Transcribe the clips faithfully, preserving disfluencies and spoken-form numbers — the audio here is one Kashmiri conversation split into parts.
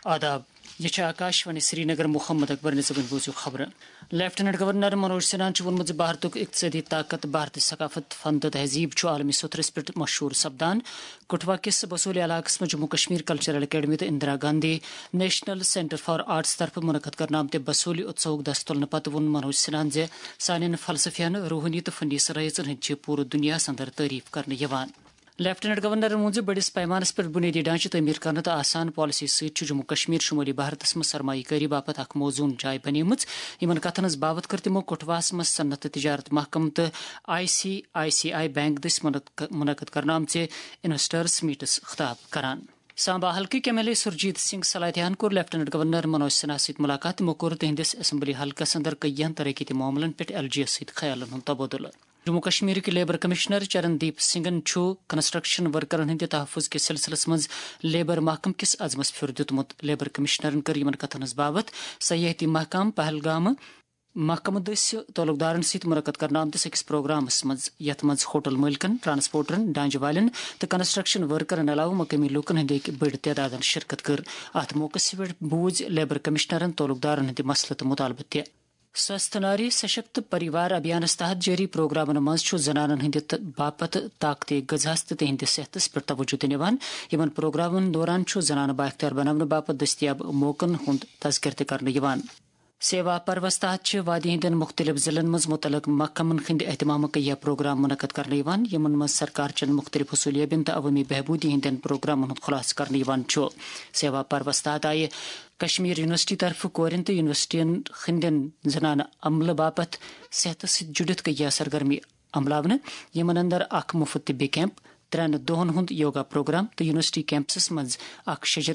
آداب۔ یہ چھِ آکاش وانی سرینگر۔ محمد اکبر نظامن بوٗزِو خبرٕ۔ لیفٹیننٹ گورنر منوج سنہاہن چھُ ووٚنمُت زِ بھارتُک اقتصٲدی طاقت، بھارتی ثقافت، فن تہٕ تہذیٖب چھُ عالمی سطحس پٮ۪ٹھ مشہوٗر سپدان۔ کٹھوا کِس بسولی علاقس منٛز جموں کشمیر کلچرل اکیڈمی تہٕ Indira Gandhi national centre for arts طرفہٕ منعقد کرنہٕ آمتہِ بسولی اتسوہُک دستُلنہٕ پتہٕ ووٚن منوج سنہاہن زِ سانٮ۪ن فلسفین، روحٲنی تہٕ فنی صلٲحیژن ہٕنٛدۍ چھِ پوٗرٕ دُنیاہس اندر تعریف کرنہٕ یِوان۔ لیفٹیننٹ گورنرن ووٚن زِ بٔڑِس پیمانس پٮ۪ٹھ بُنیٲدی ڈھانچہٕ تعمیٖر کرنہٕ تہٕ آسان پالیسی سۭتۍ چھُ جموں کشمیر شمٲلی بھارتس منٛز سرمایہ کٲری باپتھ اکھ موزوٗن جاے بنیمٕژ۔ یِمن کتھن ہٕنٛز باوتھ کٔر تِمو کٹھواہس منٛز صنعت تہٕ تجارت محکمہٕ تہٕ I C I C I bank دٔسۍ منعق-، منعقد کرنہٕ آمژِ انویسٹرس میٹس خطاب کران۔ سامبا حلقٕکۍ M L A Surjeet Singh سلاتیاہن کوٚر لیفٹیننٹ گورنر منوج سنہا سۭتۍ ملاقات۔ تِمو کوٚر تِہنٛدِس اسمبلی حلقس اندر کٔیہن ترقیتی معاملن پٮ۪ٹھ ایل جی یس سۭتۍ خیالن ہُنٛد تبادلہٕ۔ جموں کشمیرٕکۍ لیبر کمشنر چرن دیپ سنگھن چھُ کنسٹرکشن ورکرن ہٕنٛدِ تحفظ کِس سلسلس منٛز لیبر محکمہٕ کِس عزمس پھیُر دیُتمُت۔ لیبر کمشنرن کٔر یِمن کتھن ہٕنٛز باوتھ سیاحتی محکمہٕ پہلگامہٕ محکمہٕ دٔسۍ تعلقدارن سۭتۍ منعقد کرنہٕ آمتِس أکِس پروگرامس منٛز، یتھ منٛز ہوٹل مٲلکن، ٹرانسپورٹرن، ڈھانچہٕ والٮ۪ن تہٕ کنسٹرکشن ورکرن علاوٕ مقٲمی لوٗکن ہٕنٛدۍ أکۍ بٔڑۍ تعدادن شرکت کٔر۔ اتھ موقعس پٮ۪ٹھ بوٗزۍ لیبر کمشنرن تعلقدارن ہٕنٛدۍ مسلہٕ تہٕ مطالبہٕ تہِ۔ سوستھ ناری سشکت پریوار ابھیانس تحت جٲری پروگرامن منٛز چھُ زنانن ہٕنٛدِ تہٕ باپتھ طاقتی غذاہس تہٕ تِہنٛدِس صحتس پٮ۪ٹھ توجہ دِنہٕ یِوان۔ یِمن پروگرامن دوران چھُ زنانہٕ بااختیار بناونہٕ باپتھ دٔستیاب موقعن ہُنٛد تذکرٕ تہِ کرنہٕ یِوان۔ سیوا پروس تحت چھِ وادی ہٕنٛدٮ۪ن مُختٔلِف ضلعن منٛز مُتعلق محکمن ہٕنٛدِ اہتمامہٕ کہِ یہِ پروگرام منعقد کرنہٕ یِوان، یِمن منٛز سرکار چٮ۪ن مُختٔلِف حصوٗلیابین تہٕ عوٲمی بہبوٗدی ہٕنٛدٮ۪ن پروگرامن ہُنٛد خُلاصہٕ کرنہٕ یِوان چھُ۔ سیوا پروس تحت آیہِ کشمیر یونیورسٹی طرفہٕ کورٮ۪ن تہٕ یونیورسٹین ہٕنٛدٮ۪ن زنانہٕ عملہٕ باپتھ صحتس سۭتۍ جُڑِتھ کیٚنٛہہ سرگرمی عملاونہٕ، یِمن اندر اکھ مُفت طبی کیمپ، ترٛٮ۪ن دۄہن ہُنٛد یوگا پروگرام تہٕ یونیورسٹی کیمپسس منٛز اکھ شجر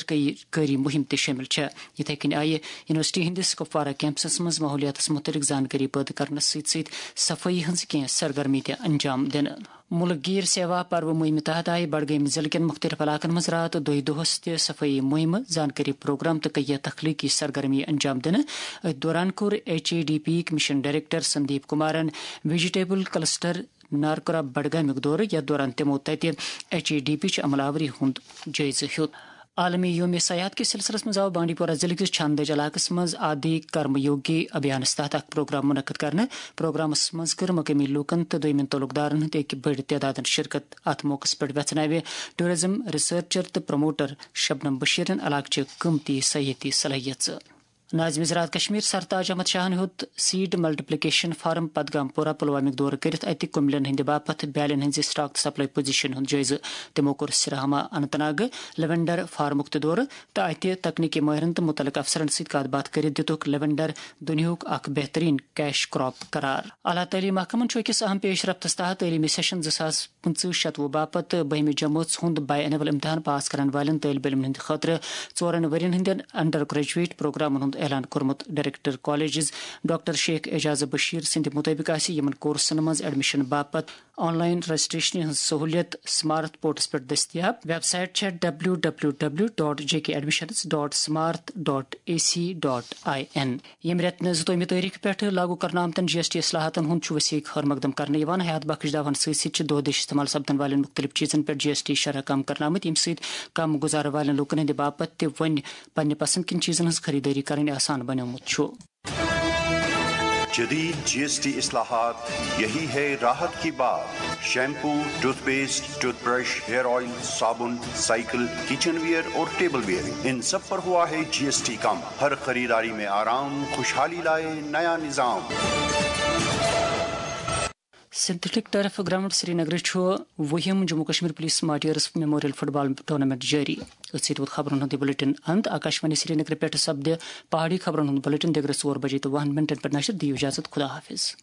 کٲری مُہِم تہِ شٲمِل چھےٚ۔ یِتھے کٔنۍ آیہِ یونیورسٹی ہٕنٛدِس کپوارہ کیمپسس منٛز ماحولیاتس مُتعلق زانکٲری پٲدٕ کرنس سۭتۍ سۭتۍ صفٲیی ہٕنٛز کینٛہہ سرگرمی تہِ انجام دِنہٕ۔ مُلک گیٖر سیوا پرو مُہِمہِ تحت آیہِ بڈگٲمۍ ضلعہٕ کٮ۪ن مُختٔلِف علاقن منٛز راتھ دۄہہِ دۄہس تہِ صفٲیی مُہِمہٕ، زانکٲری پروگرام تہٕ کیٚنٛہہ تخلیقی سرگرمی انجام دِنہٕ۔ أتھۍ دوران کوٚر ایچ اے ڈی پی یِکۍ مِشن ڈائریکٹر سندیپ کمارن ویجیٹیبل کلسٹر نارکورا بڈگامیُک دورٕ، یتھ دوران تِمو تتہِ ایچ اے ڈی پی چہِ عمل آوری ہُنٛد جٲیزٕ ہیوٚت۔ عالمی یوم سیاحت کِس سلسلس منٛز آو بانڈی پورہ ضلعہٕ کِس چھاندٕج علاقس منٛز آدی کرم یوگی ابھیانس تحت اکھ پروگرام منعقد کرنہٕ۔ پروگرامس منٛز کٔر مقٲمی لوٗکن تہٕ دوٚیمٮ۪ن تعلقدارن ہٕنٛدۍ أکۍ بٔڑۍ تعدادن شرکت۔ اتھ موقعس پٮ۪ٹھ ویژھناوِ ٹورازم ریسرچر تہٕ پروموٹر شبنم بشیرن علاقہٕ چہِ قۭمتی سیاحتی صلٲحیژٕ۔ ناظم زراعت کشمیر سرتاج احمد شاہن ہیوٚت سیڈ ملٹیپلیکیشن فارم پدگام پورہ پلوامک دورٕ کٔرِتھ اتہِ کُملٮ۪ن ہٕنٛدِ باپتھ بیالٮ۪ن ہٕنٛزِ سٹاک تہٕ سپلائی پوزیشن ہُنٛد جٲیزٕ۔ تِمو کوٚر سراہما اننت ناگ لیونڈر فارمُک تہِ دورٕ تہٕ اتہِ تکنیکی مٲہرن تہٕ مُتعلق افسرن سۭتۍ کتھ باتھ کٔرِتھ دِتُکھ لیونڈر دُنیاہُک اکھ بہترین کیش کراپ قرار۔ اعلیٰ تعلیمی محکمن چھُ أکِس اہم پیش رفتس تحت تعلیمی سیشن زٕ ساس پٕنٛژٕہ شتوُہ باپتھ بٔہمہِ جمٲژ ہُنٛد باے اینول امتحان پاس کرن والٮ۪ن طٲلب علمن ہٕنٛدِ خٲطرٕ ژورن ؤرین ہٕنٛدٮ۪ن انڈر گریجویٹ پروگرامن ہُنٛد اعلان کوٚرمُت۔ Director colleges doctor Sheikh Ejaz Bashir سٕنٛدِ مُطٲبِق آسہِ یِمن کورسن منٛز ایڈمیشن باپتھ آن لائن رجسٹریشنہِ ہٕنٛز سہوٗلیت سمارتھ پورٹلس پٮ۪ٹھ دٔستیاب۔ ویب سائٹ چھےٚ W W W dot J K admissions dot Samarth dot A C dot I N. ییٚمہِ رٮ۪تہٕ نہٕ زٕتووُہمہِ تٲریخہٕ پٮ۪ٹھٕ لاگو کرنہٕ آمتن جی ایس ٹی اصلاحاتن ہُنٛد چھُ وسیع خٲر مقدم کرنہٕ یِوان۔ حیات بخش دعواہن سۭتۍ سۭتۍ چھِ دۄہ دِش استعمال سپدن والٮ۪ن مُختٔلِف چیٖزن پٮ۪ٹھ جی ایس ٹی شرح کم کرنہٕ آمٕتۍ، ییٚمہِ سۭتۍ کم گُزارٕ والٮ۪ن لوٗکن ہٕنٛدِ باپتھ تہِ وۄنۍ پننہِ پسند کِنۍ چیٖزن ہٕنٛز خریدٲری کرٕنۍ آسان بنیومُت چھُ۔ جدید جی ایس ٹی اصلاحات، یہی ہے راحت کی بات۔ Shampoo, toothpaste, toothbrush, hair oil, صابن، سائیکل، کچن ویئر اور ٹیبل ویئر، ان سب پر ہوا ہے جی ایس ٹی کم۔ ہر خریداری میں آرام، خوشحالی لائے نیا نظام۔ سنتھیٹک ٹرف گراؤنڈ سرینگر چھُ وُہِم Jammu Kashmir police martyrs memorial football tournament جٲری۔ أتھۍ سۭتۍ ووت خبرن ہُنٛد یہِ بلیٹن اند۔ آکاشوانی سرینگر پٮ۪ٹھ سپدِ پہاڑی خبرن ہُنٛد بلیٹن دِگرس ژور بجے تہٕ وُہن منٹن پٮ۪ٹھ نشر۔ دِیِو اجازت، خدا حافظ۔